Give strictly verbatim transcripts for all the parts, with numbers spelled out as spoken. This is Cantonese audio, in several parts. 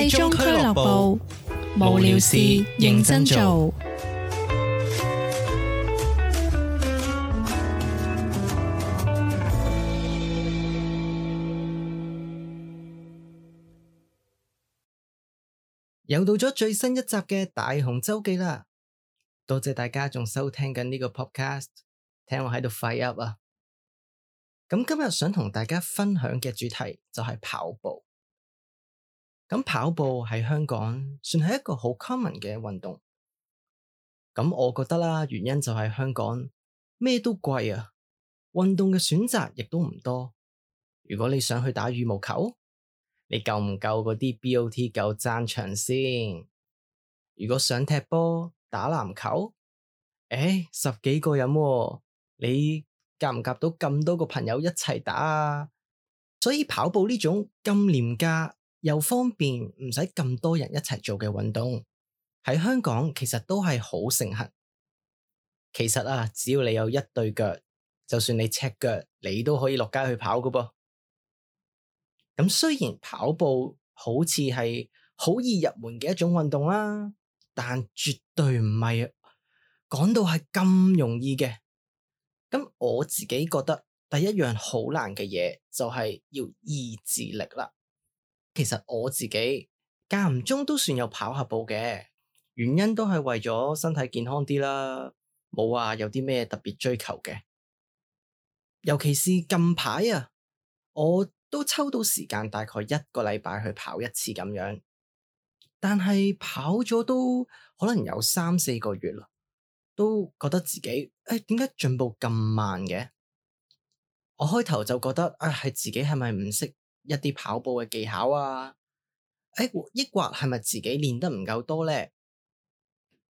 廢中俱樂部，無聊事認真做。又到咗最新一集嘅大雄周記啦，多謝大家仲收聽緊呢個 podcast， 聽我喺度廢噏啊！咁今日想同大家分享嘅主題就係跑步。咁跑步喺香港算係一個好 common 嘅運動。咁我覺得啦，原因就係香港咩都貴啊，運動嘅選擇亦都唔多。如果你想去打羽毛球，你夠唔夠嗰啲 B O T 夠爭場先？如果想踢波、打籃球，誒，十幾個人喎，你夾唔夾到咁多個朋友一齊打啊？所以跑步呢種咁廉價又方便，唔使咁多人一齊做嘅運動，喺香港其實都係好盛行。其實啊，只要你有一對腳，就算你赤腳，你都可以落街去跑㗎噃。咁雖然跑步好似係好易入門嘅一種運動啦，但絕對唔係講到係咁容易嘅。咁我自己覺得第一樣好難嘅嘢就係要意志力啦。其實我自己間唔中都算有跑下步嘅，原因都係為咗身體健康啲啦，冇話有啲咩特別追求嘅。尤其是近排啊，我都抽到時間大概一個禮拜去跑一次咁樣，但係跑咗都可能有三四個月啦，都覺得自己誒點解進步咁慢嘅？我開頭就覺得啊，係自己係咪唔識一啲跑步嘅技巧啊？誒，抑或係咪自己練得唔夠多呢？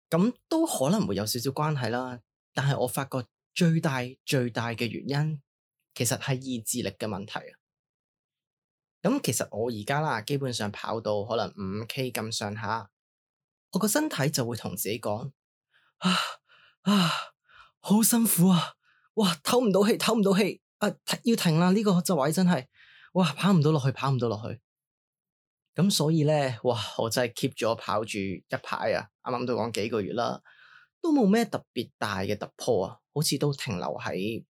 咁都可能會有少少關係啦。但係我發覺最大最大嘅原因，其實係意志力嘅問題啊。咁其實我而家啦，基本上跑到可能五 K 咁上下，我個身體就會同自己講：啊啊，好辛苦啊！哇，唞唔到氣，唞唔到氣，啊，要停啦！呢個就位真係，哇，跑唔到落去，跑唔到落去。咁所以咧，哇，我真係 keep 咗跑住一排啊！啱啱都講幾個月啦，都冇咩特別大嘅突破啊，好似都停留喺誒、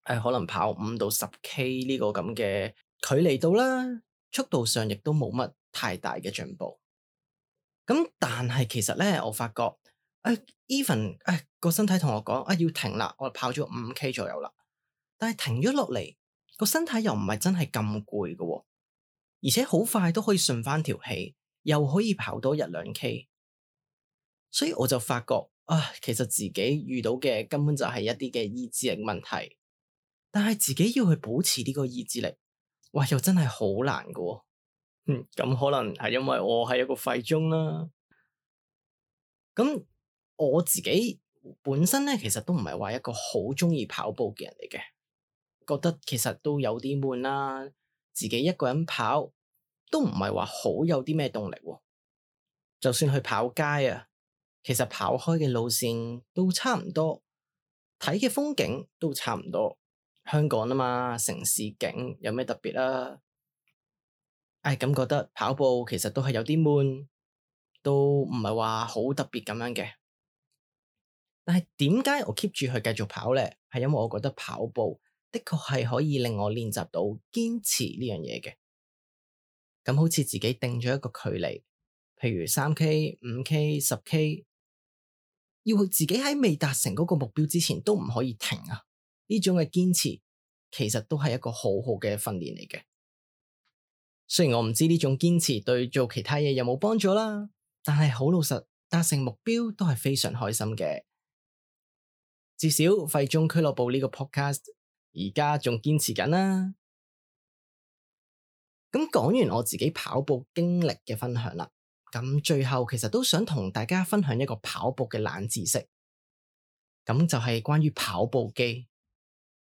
哎、可能跑五到十 K 呢個咁嘅距離度啦，速度上亦都冇乜太大嘅進步。咁但係其實咧，我發覺誒、哎、even 誒、哎、個身體同我講啊，要停啦，我跑咗五 K 左右啦，但係停咗落嚟，個身體又唔係真係咁攰嘅，而且好快都可以順翻條氣，又可以跑多一兩 K。所以我就發覺啊，其實自己遇到嘅根本就係一啲嘅意志力問題，但係自己要去保持呢個意志力，哇，又真係好難㗎。嗯，咁可能係因為我係一個廢中啦。咁我自己本身咧，其實都唔係話一個好中意跑步嘅人嚟嘅，覺得其實都有啲悶啦。自己一個人跑都唔係話好有啲咩動力喎。就算去跑街啊，其實跑開嘅路線都差唔多，睇嘅風景都差唔多。香港啊嘛，城市景有咩特別啊？唉，咁覺得跑步其實都係有啲悶，都唔係話好特別咁樣嘅。但係點解我 keep 住去繼續跑呢？係因為我覺得跑步的確係可以令我練習到堅持呢樣嘢嘅。咁好似自己定咗一個距離，譬如三 K、五 K、十 K，要自己喺未達成嗰個目標之前都唔可以停啊！呢種嘅堅持其實都係一個好好嘅訓練嚟嘅。雖然我唔知呢種堅持對做其他嘢有冇幫助啦，但係好老實，達成目標都係非常開心嘅。至少廢中俱樂部呢個 podcast 而家仲堅持緊啦。咁講完我自己跑步經歷嘅分享啦，咁最後其實都想同大家分享一個跑步嘅冷知識，咁就係關於跑步機。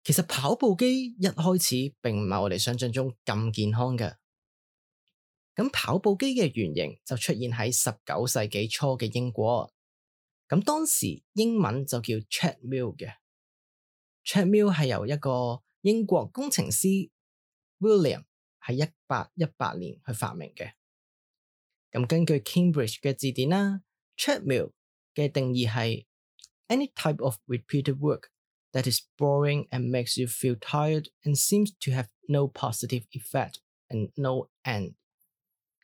其實跑步機一開始並唔係我哋想象中咁健康嘅。咁跑步機嘅原型就出現喺十九世紀初嘅英國，咁當時英文就叫 treadmill 嘅。treadmill 係由一個英國工程師 William 喺一八一八年去發明嘅。咁根據 Cambridge 嘅字典啦 treadmill 嘅定義係 any type of repeated work that is boring and makes you feel tired and seems to have no positive effect and no end。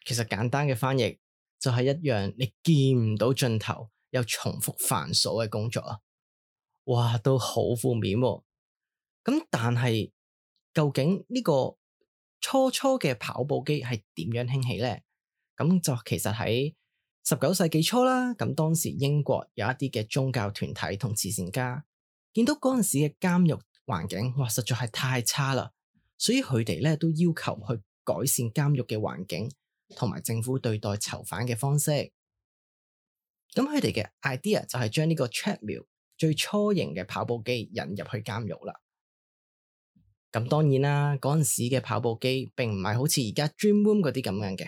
其實簡單嘅翻譯就係一樣你見唔到盡頭又重複繁瑣嘅工作啊！哇，都好負面喎。咁但係究竟呢個初初嘅跑步機係點樣興起呢？咁就其實喺十九世紀初啦，咁當時英國有一啲嘅宗教團體同慈善家見到嗰陣時嘅監獄環境，哇，實在係太差啦，所以佢哋咧都要求去改善監獄嘅環境同埋政府對待囚犯嘅方式。咁佢哋嘅 idea 就係將呢個 treadmill 最初型嘅跑步機引入去監獄啦。咁當然啦，嗰陣時嘅跑步機並唔係好似而家 Dream Room 嗰啲咁樣嘅，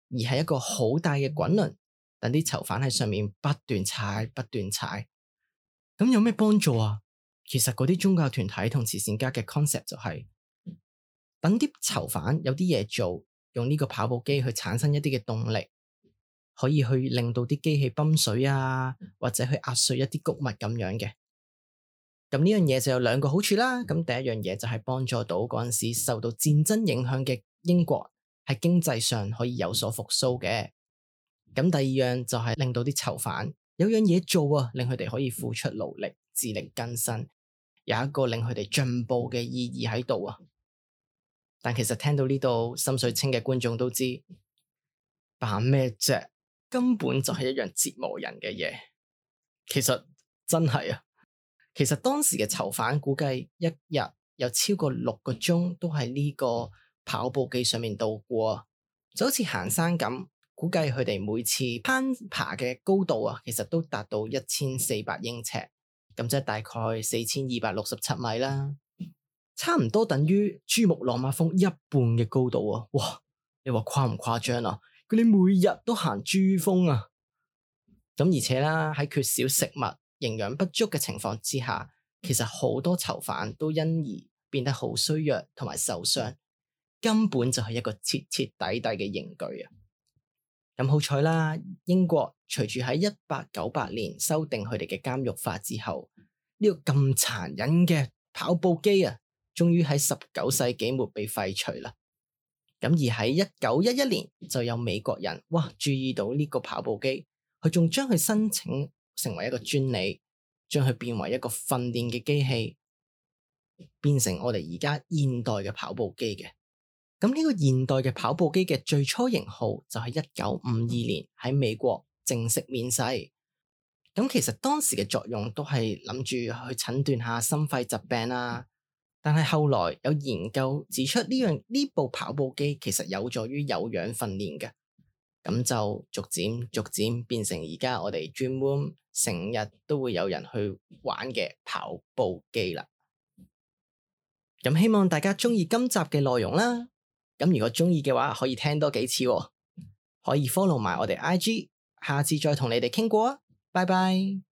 而係一個好大嘅滾輪，等啲囚犯喺上面不斷踩不斷踩。咁有咩幫助啊？其實嗰啲宗教團體同慈善家嘅 concept 就係等啲囚犯有啲嘢做，用呢個跑步機去產生一啲嘅動力，可以去令到啲機器泵水啊，或者去壓碎一啲穀物咁樣嘅。咁呢樣嘢就有兩個好處啦。咁第一樣嘢就係幫助到嗰陣時受到戰爭影響嘅英國喺經濟上可以有所復甦嘅。咁第二樣就係令到啲囚犯有樣嘢做啊，令佢哋可以付出勞力，自力更生，有一個令佢哋進步嘅意義喺度啊。但其實聽到呢度心水清嘅觀眾都知，扮咩啫？根本就係一樣折磨人嘅嘢。其實真係啊。其實當時嘅囚犯估計一日有超過六個鐘都喺呢個跑步機上面度過，就好似行山咁。估計佢哋每次攀爬嘅高度啊，其實都達到一千四百英尺，咁即係大概四千二百六十七米啦，差唔多等於珠穆朗瑪峰一半嘅高度啊！哇，你話誇唔誇張啊？佢哋每日都行珠峰啊！咁而且啦，喺缺少食物、營養不足嘅情況之下，其實好多囚犯都因而變得好衰弱同埋受傷，根本就係一個徹徹底底嘅刑具啊！咁好彩啦，英國隨住喺一八九八年修訂佢哋嘅監獄法之後，呢個咁殘忍嘅跑步機啊，終於喺十九世紀末被廢除啦。咁而喺一九一一年就有美國人哇注意到呢個跑步機，佢仲將佢申請成為一個專利，將佢變為一個訓練嘅機器，變成我哋而家現代嘅跑步機嘅。咁呢個現代嘅跑步機嘅最初型號就係一九五二年喺美國正式面世。咁其實當時嘅作用都係諗住去診斷下心肺疾病啊，但係後來有研究指出呢樣呢部跑步機其實有助於有氧訓練嘅，咁就逐漸逐漸變成而家我哋 Dream Room 成日都會有人去玩嘅跑步機啦。咁希望大家鍾意今集嘅內容啦。咁如果鍾意嘅話，可以聽多幾次喎，可以 follow 埋我哋 I G， 下次再同你哋傾過啊，拜拜。